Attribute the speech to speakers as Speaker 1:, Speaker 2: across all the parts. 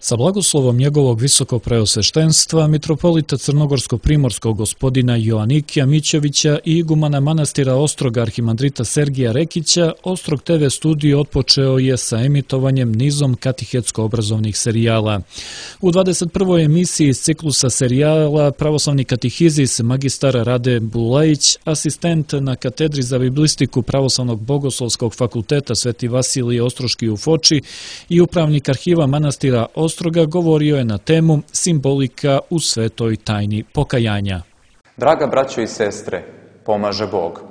Speaker 1: Sa blagoslovom njegovog visokopreosveštenstva, mitropolita crnogorsko-primorskog gospodina Joanikija Mićevića i igumana manastira Ostroga arhimandrita Sergija Rekića, Ostrog TV studio otpočeo je sa emitovanjem nizom katehetsko-obrazovnih serijala. U 21. emisiji iz ciklusa serijala pravoslavni katehizis magistar Rade Bulajić, asistent na katedri za biblistiku Pravoslavnog bogoslovskog fakulteta Sveti Vasilije Ostroški u Foči i upravnik arhiva manastira Ostroga govorio je na temu simbolika u svetoj tajni pokajanja.
Speaker 2: Draga braćo i sestre, pomaže Bog.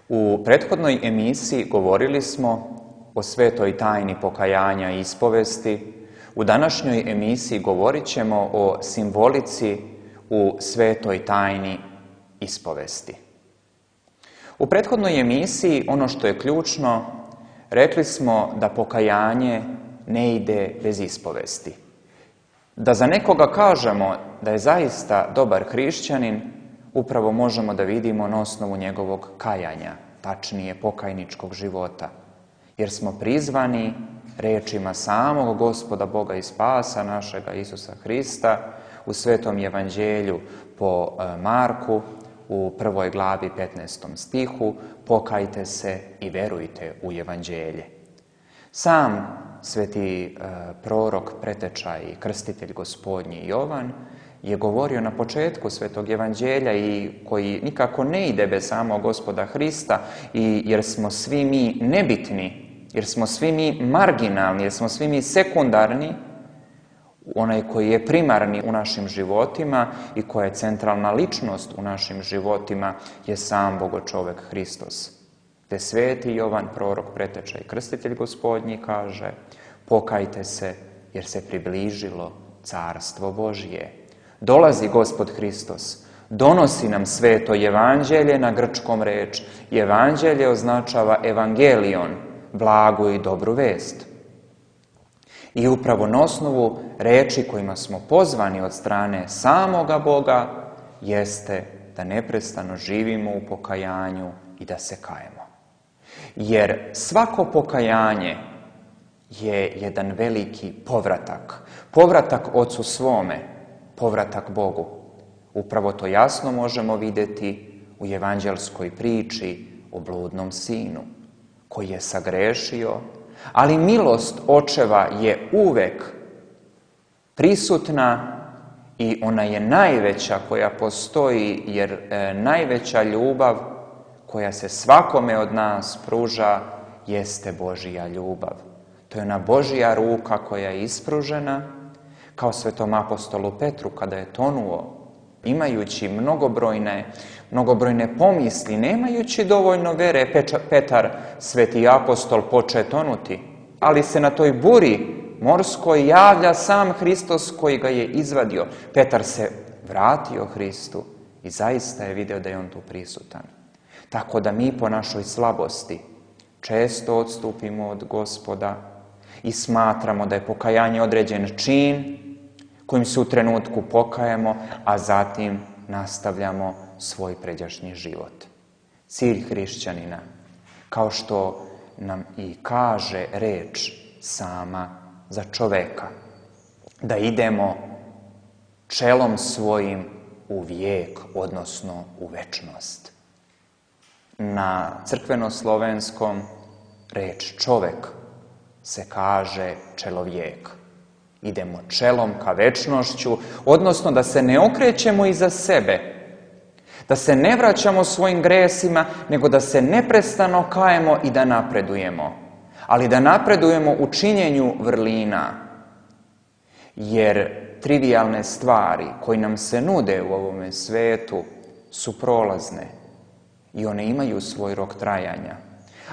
Speaker 2: U prethodnoj emisiji govorili smo o svetoj tajni pokajanja i ispovesti. U današnjoj emisiji govorit ćemo o simbolici u svetoj tajni ispovesti. U prethodnoj emisiji ono što je ključno, rekli smo da pokajanje ne ide bez ispovesti. Da za nekoga kažemo da je zaista dobar hrišćanin, upravo možemo da vidimo na osnovu njegovog kajanja, tačnije pokajničkog života. Jer smo prizvani rečima samog Gospoda Boga i Spasa našega Isusa Hrista u Svetom Evanđelju po Marku u 1. glavi 15. stihu: pokajte se i verujte u Evanđelje. Sam sveti prorok, preteča i krstitelj Gospodnji Jovan je govorio na početku Svetog Evanđelja i koji nikako ne ide bez samog Gospoda Hrista, i jer smo svi mi nebitni, jer smo svi mi marginalni, jer smo svi mi sekundarni, onaj koji je primarni u našim životima i koja je centralna ličnost u našim životima je sam Bogočovek Hristos. Te sveti Jovan, prorok, preteča i krstitelj Gospodnji, kaže: pokajte se jer se približilo carstvo Božje. Dolazi Gospod Hristos, donosi nam sveto evanđelje, na grčkom reč evanđelje označava evangelion, blagu i dobru vest. I upravo na osnovu reči kojima smo pozvani od strane samoga Boga jeste da neprestano živimo u pokajanju i da se kajemo. Jer svako pokajanje je jedan veliki povratak. Povratak Ocu svome, povratak Bogu. Upravo to jasno možemo vidjeti u evanđelskoj priči o bludnom sinu, koji je sagrešio, ali milost očeva je uvek prisutna i ona je najveća koja postoji, jer najveća ljubav koja se svakome od nas pruža jeste Božja ljubav. To je ona Božja ruka koja je ispružena, kao svetom apostolu Petru kada je tonuo, imajući mnogobrojne pomisli, nemajući dovoljno vere. Petar, sveti apostol, poče tonuti, ali se na toj buri morskoj javlja sam Hristos koji ga je izvadio. Petar se vratio Hristu i zaista je video da je on tu prisutan. Tako da mi po našoj slabosti često odstupimo od Gospoda i smatramo da je pokajanje određen čin kojim se u trenutku pokajemo, a zatim nastavljamo svoj pređašnji život. Cilj hrišćanina, kao što nam i kaže reč sama za čoveka, da idemo čelom svojim u vijek, odnosno u večnost. Na crkveno-slovenskom reč čovek se kaže čelovijek. Idemo čelom ka večnošću, odnosno da se ne okrećemo iza sebe, da se ne vraćamo svojim gresima, nego da se neprestano kajemo i da napredujemo. Ali da napredujemo u činjenju vrlina, jer trivijalne stvari koje nam se nude u ovome svetu su prolazne i one imaju svoj rok trajanja.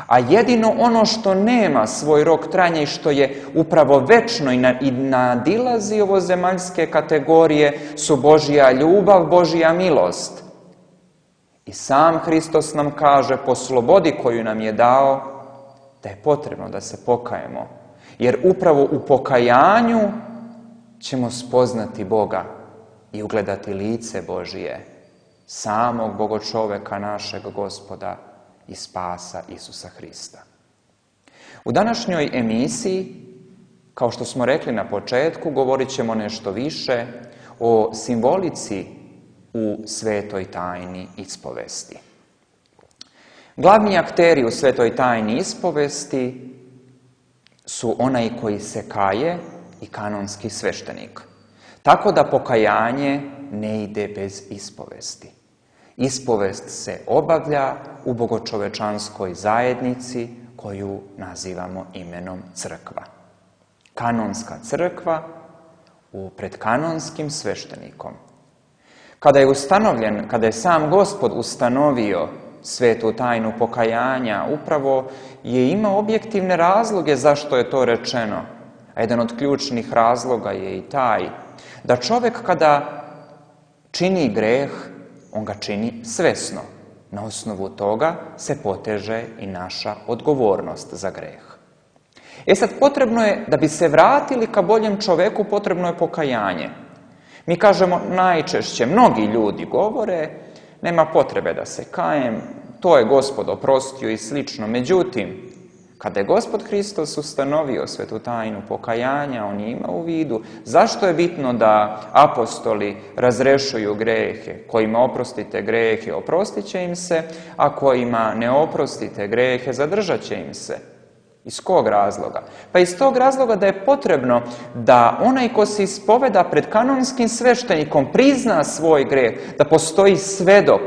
Speaker 2: A jedino ono što nema svoj rok trajanja i što je upravo večno i nadilazi ovozemaljske kategorije su Božja ljubav, Božja milost. I sam Hristos nam kaže po slobodi koju nam je dao da je potrebno da se pokajemo. Jer upravo u pokajanju ćemo spoznati Boga i ugledati lice Božije, samog Bogočoveka našeg Gospoda i Spasa Isusa Hrista. U današnjoj emisiji Kao što smo rekli na početku, govorit ćemo nešto više o simbolici u svetoj tajni ispovesti. Glavni akteri u svetoj tajni ispovesti su onaj koji se kaje i kanonski sveštenik. Tako da pokajanje ne ide bez ispovesti. Ispovest se obavlja u bogočovečanskoj zajednici koju nazivamo imenom crkva. Kanonska crkva pred kanonskim sveštenikom. Kada je sam Gospod ustanovio svetu tajnu pokajanja, upravo je imao objektivne razloge zašto je to rečeno. A jedan od ključnih razloga je i taj da čovjek kada čini greh, on ga čini svesno. Na osnovu toga se poteže i naša odgovornost za greh. Sad potrebno je, da bi se vratili ka boljem čoveku, potrebno je pokajanje. Mi kažemo najčešće, mnogi ljudi govore, nema potrebe da se kajem, to je Gospod oprostio i slično. Međutim, kada je Gospod Hristos ustanovio svetu tajnu pokajanja, on je imao u vidu zašto je bitno da apostoli razrešuju grehe. Kojima oprostite grehe, oprostit će im se, a kojima ne oprostite grehe, zadržat će im se. Iz kog razloga? Pa iz tog razloga da je potrebno da onaj ko se ispoveda pred kanonskim sveštenikom prizna svoj greh, da postoji svedok.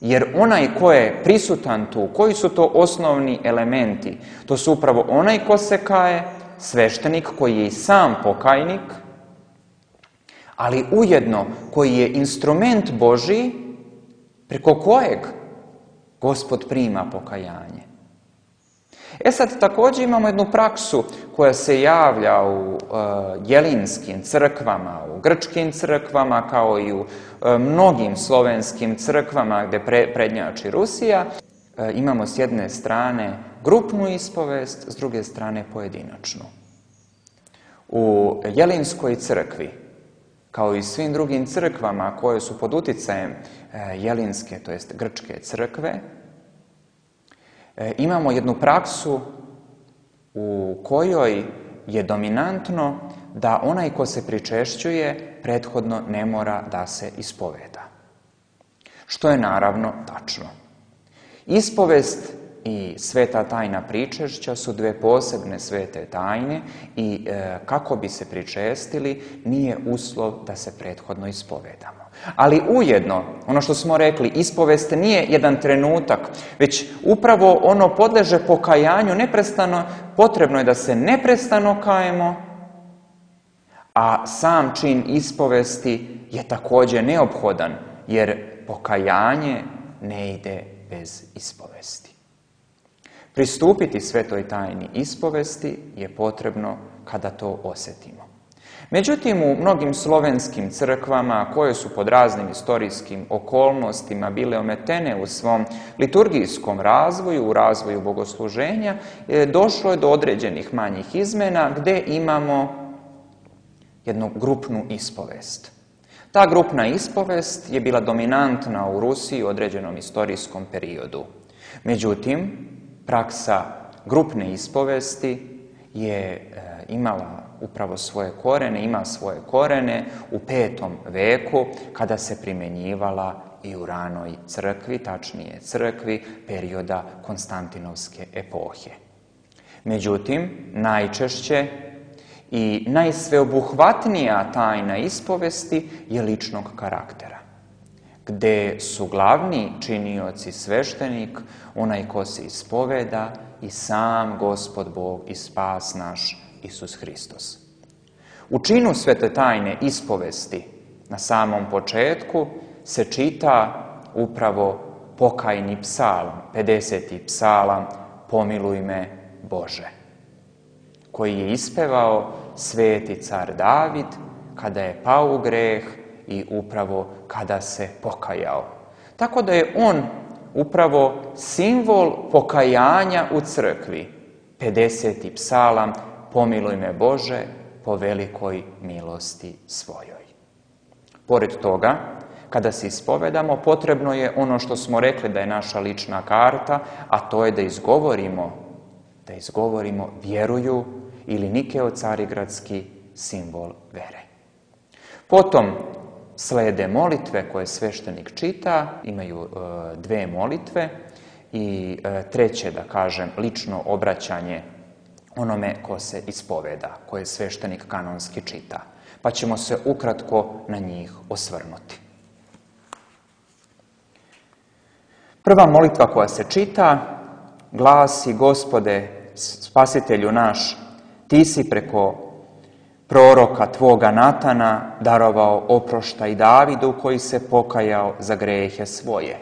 Speaker 2: Jer onaj ko je prisutan tu, koji su to osnovni elementi? To su upravo onaj ko se kaje, sveštenik koji je i sam pokajnik, ali ujedno koji je instrument Božji preko kojeg Gospod prima pokajanje. Sad također imamo jednu praksu koja se javlja u jelinskim crkvama, u grčkim crkvama, kao i u mnogim slovenskim crkvama gdje prednjači Rusija. Imamo s jedne strane grupnu ispovest, s druge strane pojedinačnu. U jelinskoj crkvi, kao i svim drugim crkvama koje su pod uticajem jelinske, to jest grčke crkve, imamo jednu praksu u kojoj je dominantno da onaj ko se pričešćuje prethodno ne mora da se ispoveda. Što je naravno tačno. Ispovest i sveta tajna pričešća su dve posebne svete tajne i kako bi se pričestili nije uslov da se prethodno ispovedamo. Ali ujedno, ono što smo rekli, ispovest nije jedan trenutak, već upravo ono podleže pokajanju neprestano, potrebno je da se neprestano kajemo, a sam čin ispovesti je također neophodan, jer pokajanje ne ide bez ispovesti. Pristupiti svetoj tajni ispovesti je potrebno kada to osjetimo. Međutim, u mnogim slovenskim crkvama koje su pod raznim istorijskim okolnostima bile ometene u svom liturgijskom razvoju, u razvoju bogosluženja, došlo je do određenih manjih izmena gdje imamo jednu grupnu ispovest. Ta grupna ispovest je bila dominantna u Rusiji u određenom istorijskom periodu. Međutim, praksa grupne ispovesti je imala upravo svoje korene, ima svoje korene u 5. veku kada se primjenjivala i u ranoj crkvi, tačnije crkvi perioda Konstantinovske epohe. Međutim, najčešće i najsveobuhvatnija tajna ispovesti je ličnog karaktera, gde su glavni činioci sveštenik, onaj ko se ispoveda i sam Gospod Bog i spas naš Isus Hristos. U činu svete tajne ispovesti na samom početku se čita upravo pokajni psalam, 50. psalam Pomiluj me Bože, koji je ispevao sveti car David kada je pao u greh i upravo kada se pokajao. Tako da je on upravo simbol pokajanja u crkvi. 50. psalam Pomiluj me Bože po velikoj milosti svojoj. Pored toga, kada se ispovedamo, potrebno je ono što smo rekli da je naša lična karta, a to je da izgovorimo vjeruju ili Nikeo Carigradski simbol vere. Potom slede molitve koje sveštenik čita, imaju dve molitve i treće, da kažem, lično obraćanje onome ko se ispoveda, koje sveštenik kanonski čita. Pa ćemo se ukratko na njih osvrnuti. Prva molitva koja se čita glasi: Gospode, spasitelju naš, ti si preko proroka tvoga Natana darovao oproštaj Davidu koji se pokajao za grehe svoje.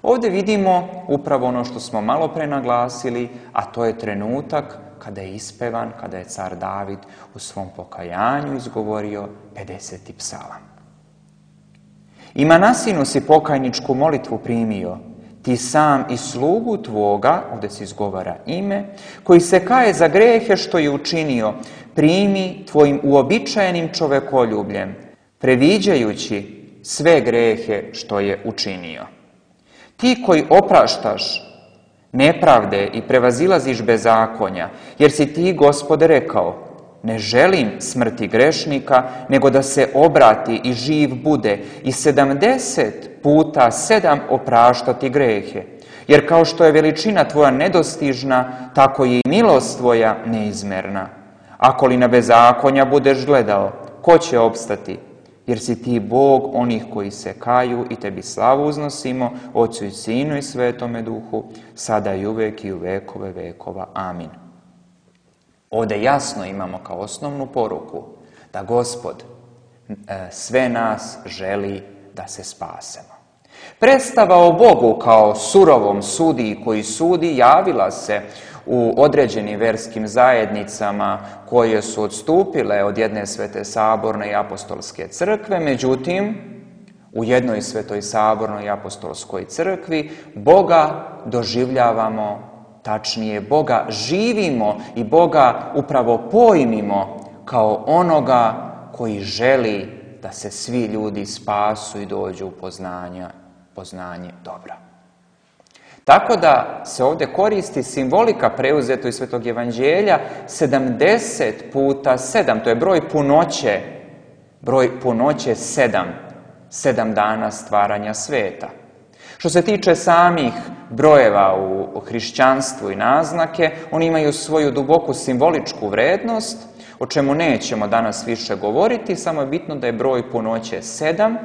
Speaker 2: Ovdje vidimo upravo ono što smo malo pre naglasili, a to je trenutak kada je ispevan, kada je car David u svom pokajanju izgovorio 50. psalam. I Manasinu si pokajničku molitvu primio, ti sam i slugu tvoga, ovdje se izgovara ime, koji se kaje za grehe što je učinio, primi tvojim uobičajenim čovekoljubljem, previđajući sve grehe što je učinio. Ti koji opraštaš nepravde i prevazilaziš bezakonja, jer si ti, Gospode, rekao: ne želim smrti grešnika, nego da se obrati i živ bude i 70 puta 7 opraštati grehe. Jer kao što je veličina tvoja nedostižna, tako je i milost tvoja neizmerna. Ako li na bezakonja budeš gledao, ko će opstati? Jer si ti Bog onih koji se kaju i tebi slavu uznosimo, Otcu i Sinu i Svetome Duhu, sada i uvek i u vekove vekova. Amin. Ovdje jasno imamo kao osnovnu poruku da Gospod sve nas želi da se spasemo. Predstava o Bogu kao surovom sudiji koji sudi javila se u određenim verskim zajednicama koje su odstupile od jedne svete saborne i apostolske crkve, međutim, u jednoj svetoj sabornoj i apostolskoj crkvi Boga doživljavamo, tačnije Boga živimo i Boga upravo pojmimo kao onoga koji želi da se svi ljudi spasu i dođu u poznanje dobra. Tako da se ovdje koristi simbolika preuzeto iz Svetog Evanđelja 70 puta 7, to je broj punoće 7 dana stvaranja sveta. Što se tiče samih brojeva u hrišćanstvu i naznake, oni imaju svoju duboku simboličku vrednost, o čemu nećemo danas više govoriti, samo je bitno da je broj punoće 7,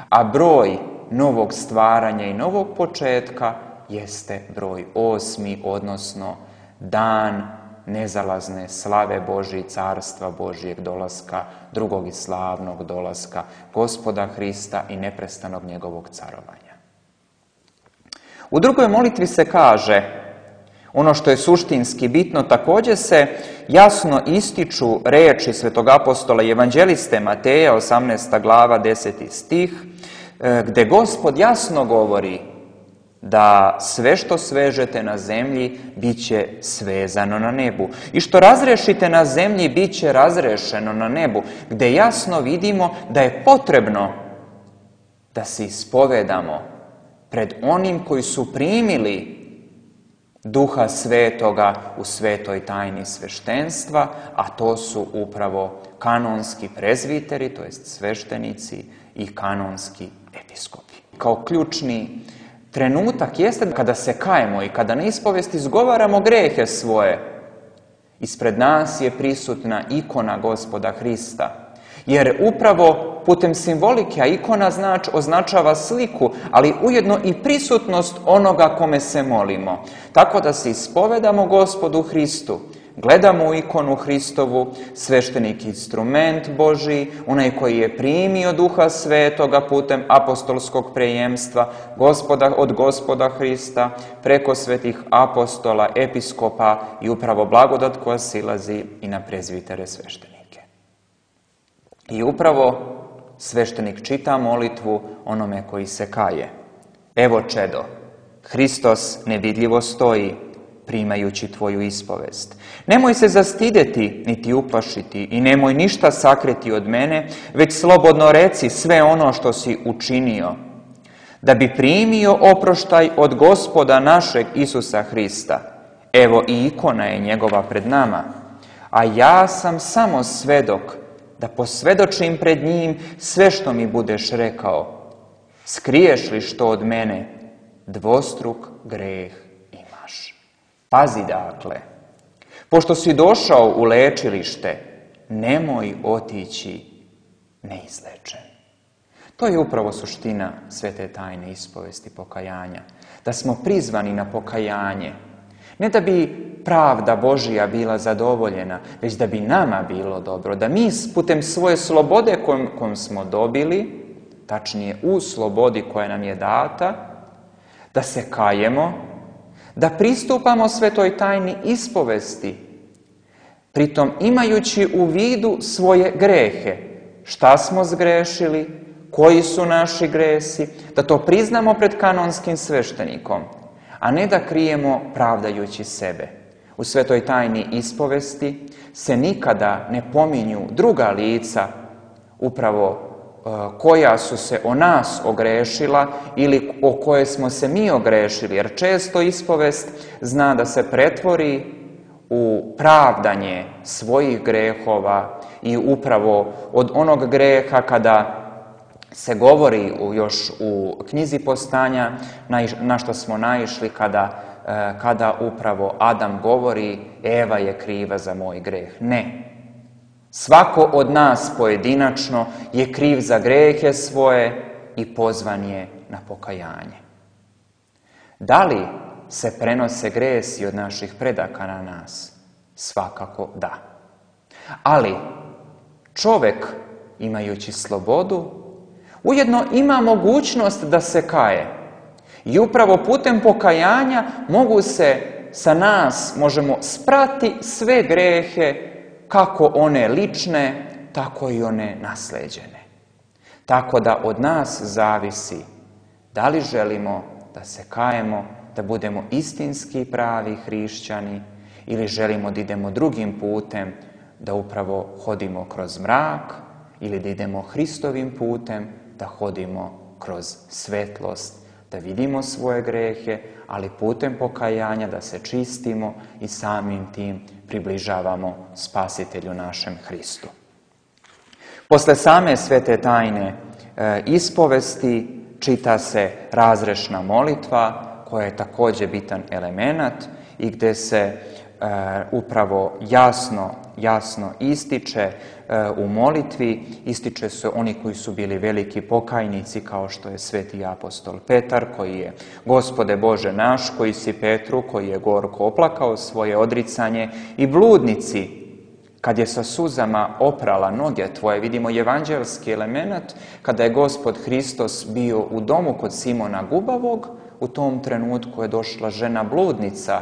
Speaker 2: a broj novog stvaranja i novog početka jeste broj 8, odnosno dan nezalazne slave Božje i carstva Božjeg dolaska, drugog i slavnog dolaska Gospoda Hrista i neprestanog njegovog carovanja. U drugoj molitvi se kaže, ono što je suštinski bitno, također se jasno ističu riječi svetog apostola i evanđeliste Mateja, 18. glava, 10. stih, gdje Gospod jasno govori da sve što svežete na zemlji bit će svezano na nebu. I što razrešite na zemlji bit će razrešeno na nebu. Gdje jasno vidimo da je potrebno da se ispovedamo pred onim koji su primili Duha Svetoga u svetoj tajni sveštenstva, a to su upravo kanonski prezviteri, to jest sveštenici i kanonski episkopi. Kao ključni trenutak jeste kada se kajemo i kada na ispovesti izgovaramo grehe svoje. Ispred nas je prisutna ikona Gospoda Hrista. Jer upravo putem simbolike, a ikona označava sliku, ali ujedno i prisutnost onoga kome se molimo. Tako da se ispovedamo Gospodu Hristu. Gledamo u ikonu Hristovu, sveštenik instrument Božji, onaj koji je primio Duha Svetoga putem apostolskog prejemstva od Gospoda Hrista, preko svetih apostola, episkopa i upravo blagodat koja silazi i na prezvitere sveštenike. I upravo sveštenik čita molitvu onome koji se kaje. Evo čedo, Hristos nevidljivo stoji, primajući tvoju ispovest. Nemoj se zastideti, niti uplašiti i nemoj ništa sakriti od mene, već slobodno reci sve ono što si učinio, da bi primio oproštaj od Gospoda našeg Isusa Hrista. Evo i ikona je njegova pred nama, a ja sam samo svedok da posvedočim pred njim sve što mi budeš rekao. Skriješ li što od mene, dvostruk greh imaš. Pazi dakle, pošto si došao u lečilište, nemoj otići neizlečen. To je upravo suština svete tajne ispovesti pokajanja. Da smo prizvani na pokajanje. Ne da bi pravda Božija bila zadovoljena, već da bi nama bilo dobro. Da mi putem svoje slobode kojom smo dobili, tačnije u slobodi koja nam je data, da se kajemo, da pristupamo svetoj tajni ispovesti, pritom imajući u vidu svoje grehe. Šta smo zgrešili, koji su naši gresi, da to priznamo pred kanonskim sveštenikom, a ne da krijemo pravdajući sebe. U svetoj tajni ispovesti se nikada ne pominju druga lica, upravo koja su se o nas ogrešila ili o koje smo se mi ogrešili, jer često ispovest zna da se pretvori u pravdanje svojih grehova i upravo od onog greha kada se govori još u knjizi Postanja, na što smo naišli kada upravo Adam govori Eva je kriva za moj greh. Ne. Svako od nas pojedinačno je kriv za grehe svoje i pozvan je na pokajanje. Da li se prenose gresi od naših predaka na nas? Svakako da. Ali čovjek, imajući slobodu, ujedno ima mogućnost da se kaje. I upravo putem pokajanja mogu se sa nas, možemo sprati sve grehe, kako one lične, tako i one nasleđene. Tako da od nas zavisi da li želimo da se kajemo, da budemo istinski pravi hrišćani ili želimo da idemo drugim putem, da upravo hodimo kroz mrak ili da idemo Hristovim putem, da hodimo kroz svetlost, da vidimo svoje grehe, ali putem pokajanja da se čistimo i samim tim približavamo Spasitelju našem Hristu. Posle same svete tajne ispovesti čita se razrešna molitva, koja je također bitan elemenat i gdje se upravo jasno ističe u molitvi, ističe se oni koji su bili veliki pokajnici, kao što je sveti apostol Petar, koji je Gospode Bože naš, koji si Petru, koji je gorko oplakao svoje odricanje, i bludnici, kad je sa suzama oprala noge tvoje. Vidimo evanđelski element, kada je Gospod Hristos bio u domu kod Simona Gubavog, u tom trenutku je došla žena bludnica,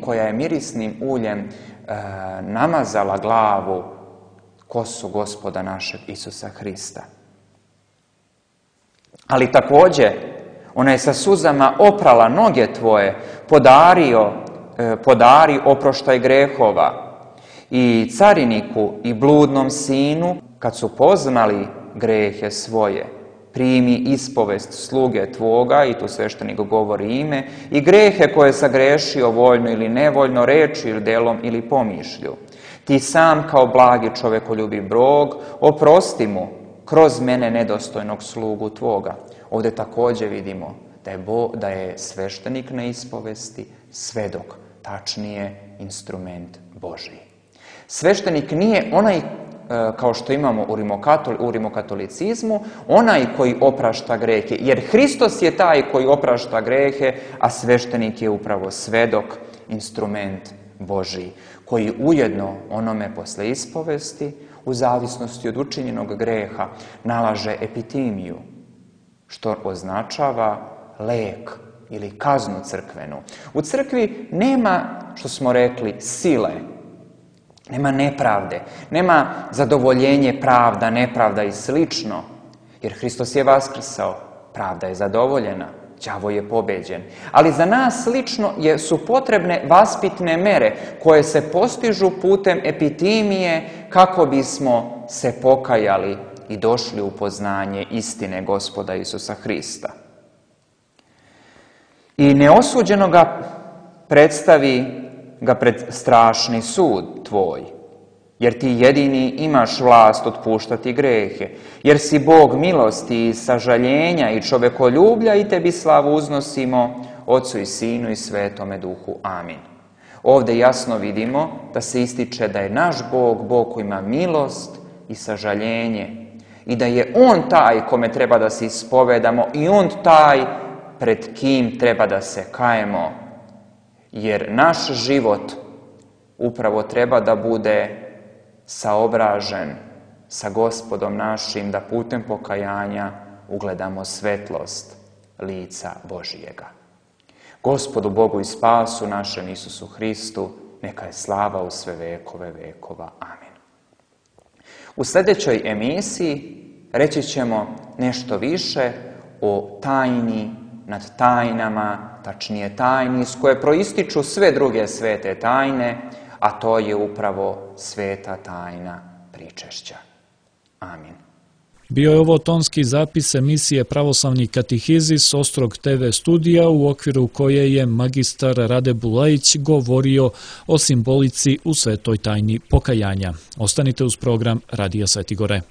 Speaker 2: koja je mirisnim uljem namazala glavu, kosu Gospoda našeg Isusa Hrista. Ali također, ona je sa suzama oprala noge tvoje, podari oproštaj grehova. I cariniku i bludnom sinu, kad su poznali grehe svoje, primi ispovest sluge tvoga, i tu sveštenik govori ime, i grehe koje sagrešio voljno ili nevoljno, reči ili delom ili pomišlju. Ti sam kao blagi čovekoljubiv Bog, oprosti mu kroz mene nedostojnog slugu tvoga. Ovdje također vidimo da je sveštenik na ispovesti svedok, tačnije instrument Božiji. Sveštenik nije onaj, kao što imamo u rimokatolicizmu, onaj koji oprašta grehe, jer Hristos je taj koji oprašta grehe, a sveštenik je upravo svedok, instrument Božiji, koji ujedno onome posle ispovesti, u zavisnosti od učinjenog greha, nalaže epitimiju, što označava lek ili kaznu crkvenu. U crkvi nema, što smo rekli, sile, nema nepravde, nema zadovoljenje pravda, nepravda i slično, jer Hristos je vaskrsao, pravda je zadovoljena, đavo je pobeđen. Ali za nas lično su potrebne vaspitne mere koje se postižu putem epitimije kako bismo se pokajali i došli u poznanje istine Gospoda Isusa Hrista. I neosuđeno ga predstavi ga pred strašni sud tvoj. jer ti jedini imaš vlast otpuštati grehe, jer si Bog milosti i sažaljenja i čovekoljublja i tebi slavu uznosimo, Otcu i Sinu i Svetome Duhu. Amin. Ovdje jasno vidimo da se ističe da je naš Bog, Bog koji ima milost i sažaljenje i da je On taj kome treba da se ispovedamo i On taj pred kim treba da se kajemo, jer naš život upravo treba da bude saobražen sa Gospodom našim, da putem pokajanja ugledamo svetlost lica Božijega. Gospodu Bogu i spasu našem Isusu Hristu, neka je slava u sve vekove vekova. Amin. U sljedećoj emisiji reći ćemo nešto više o tajni nad tajnama, tačnije tajni iz koje proističu sve druge svete tajne, a to je upravo sveta tajna pričešća. Amin.
Speaker 1: Bio je ovo tonski zapis emisije Pravoslavni katehizis Ostrog TV studija u okviru koje je magistar Rade Bulajić govorio o simbolici u svetoj tajni pokajanja. Ostanite uz program Radija Sveti Gore.